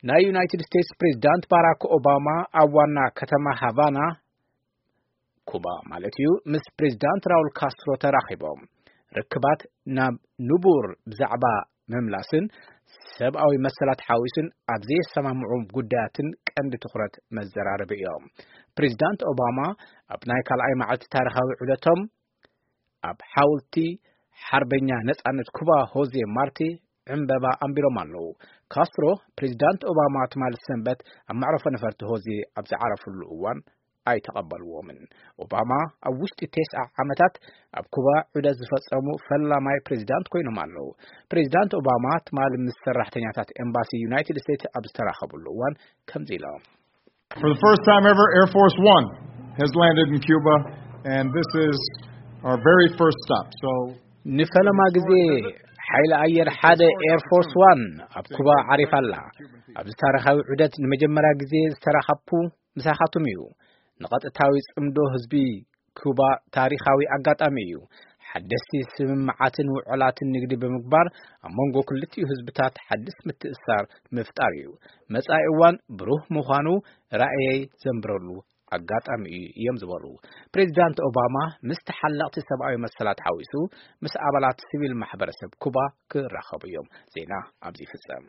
ናይ ዩናይትድ ስቴትስ ፕሬዚዳንት ባራክ ኦባማ ኣብ ዋና ከተማ ሃቫና፣ ኩባ ማለት እዩ፣ ምስ ፕሬዚዳንት ራውል ካስትሮ ተራኺቦም። ርክባት ናብ ንቡር ብዛዕባ ምምላስን ሰብኣዊ መሰላት ሓዊስን ኣብ ዘየሰማምዑ ጉዳያትን ቀንዲ ትኹረት መዘራረቢ እዮም። ፕሬዚዳንት ኦባማ ኣብ ናይ ካልኣይ መዓልቲ ታሪኻዊ ዑደቶም ኣብ ሓውልቲ ሓርበኛ ነጻነት ኩባ ሆዜ ማርቲ ዕምበባ ኣንቢሮም ኣለዉ። ካስትሮ ፕሬዚዳንት ኦባማ ትማሊ ሰንበት ኣብ መዕረፎ ነፈርቲ ሆዜ ኣብ ዝዓረፍሉ እዋን ኣይተቐበልዎምን። ኦባማ ኣብ ውሽጢ ተስዓ ዓመታት ኣብ ኩባ ዑደት ዝፈጸሙ ፈላማይ ፕሬዚዳንት ኮይኖም ኣለዉ። ፕሬዚዳንት ኦባማ ትማሊ ምስ ሰራሕተኛታት ኤምባሲ ዩናይትድ ስቴትስ ኣብ ዝተራኸብሉ እዋን ከምዚ ኢሎም። For the first time ever, Air Force One has landed in Cuba, and this is our very first stop. So ንፈለማ ግዜ ሓይሊ ኣየር ሓደ ኤር ፎርስ ዋን ኣብ ኩባ ዓሪፋ ኣላ። ኣብዚ ታሪኻዊ ዑደት ንመጀመርያ ግዜ ዝተራኸብኩ ምሳኻትኩም እዩ። ንቐጥታዊ ጽምዶ ህዝቢ ኩባ ታሪኻዊ ኣጋጣሚ እዩ። ሓደስቲ ስምምዓትን ውዕላትን ንግዲ ብምግባር ኣብ መንጎ ክልቲኡ ህዝብታት ሓድስ ምትእስሳር ምፍጣር እዩ። መጻኢ እዋን ብሩህ ምዃኑ ራእየይ ዘንብረሉ ኣጋጣሚ እዩ እዮም ዝበሉ ፕሬዚዳንት ኦባማ ምስ ተሓለቕቲ ሰብኣዊ መሰላት ሓዊሱ ምስ ኣባላት ሲቪል ማሕበረሰብ ኩባ ክራኸቡ እዮም። ዜና ኣብዚ ይፍጸም።